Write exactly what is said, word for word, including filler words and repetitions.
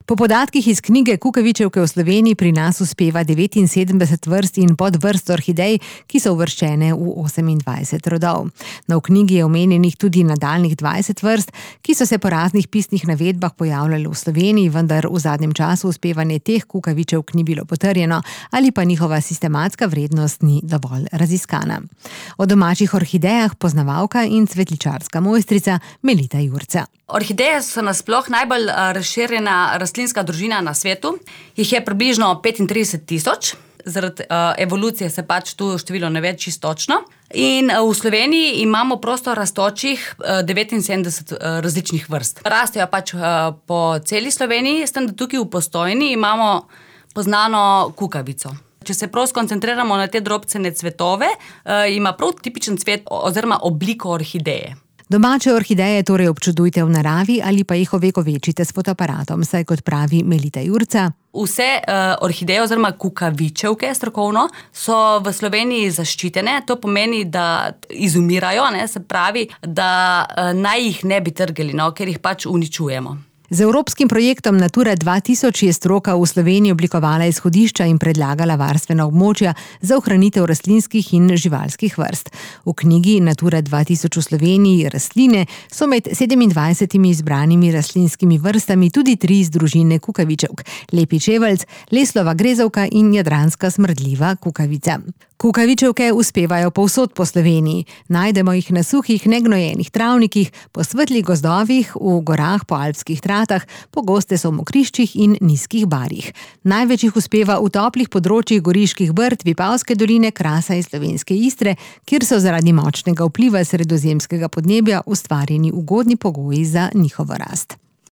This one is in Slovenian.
Po podatkih iz knjige Kukavičevke v Sloveniji pri nas uspeva devetinsedemdeset vrst in podvrst orhidej, ki so uvrščene v osemindvajset rodov. No, v knjigi je omenjenih tudi nadaljnjih dvajset vrst, ki so se po raznih pisnih navedbah pojavljale v Sloveniji, vendar v zadnjem času uspevanje teh kukavičevk ni bilo potrjeno ali pa njihova sistematska vrednost ni dovolj raziskana. O domačih orhidejah poznavalka in cvetličarska mojstrica Melita Jurca. Orhideje so nasploh najbolj razširjena rastlinska družina na svetu. Jih je približno petintrideset tisoč. Zaradi uh, evolucije se pač tu število ne ve čisto točno. In uh, v Sloveniji imamo prosto rastočih uh, devetinsedemdeset uh, različnih vrst. Rastejo pač uh, po celi Sloveniji, s tem, da tukaj v Postojni imamo poznano kukavico. Če se prav skoncentriramo na te drobcene cvetove, uh, ima prav tipičen cvet oziroma obliko orhideje. Domače orhideje torej občudujte v naravi ali pa jih ovekovečite s fotoaparatom, saj kot pravi Melita Jurca. Vse uh, orhideje oziroma kukavičevke strokovno so v Sloveniji zaščitene. To pomeni, da izumirajo, ne, se pravi, da uh, naj jih ne bi trgali, no, ker jih pač uničujemo. Z evropskim projektom Natura dva tisoč je stroka v Sloveniji oblikovala izhodišča in predlagala varstvena območja za ohranitev rastlinskih in živalskih vrst. V knjigi Natura dva tisoč v Sloveniji rastline so med sedemindvajsetimi izbranimi rastlinskimi vrstami tudi tri iz družine kukavičevk: lepi čeveljc, leslova grezavka in jadranska smrdljiva kukavica. Kukavičevke uspevajo povsod po Sloveniji. Najdemo jih na suhih, negnojenih travnikih, po svetlih gozdovih, v gorah, po alpskih tratah, pogoste so v mokriščih in nizkih barjih. Največ jih uspeva v toplih področjih Goriških Brd, Vipavske doline, Krasa in Slovenske Istre, kjer so zaradi močnega vpliva sredozemskega podnebja ustvarjeni ugodni pogoji za njihovo rast.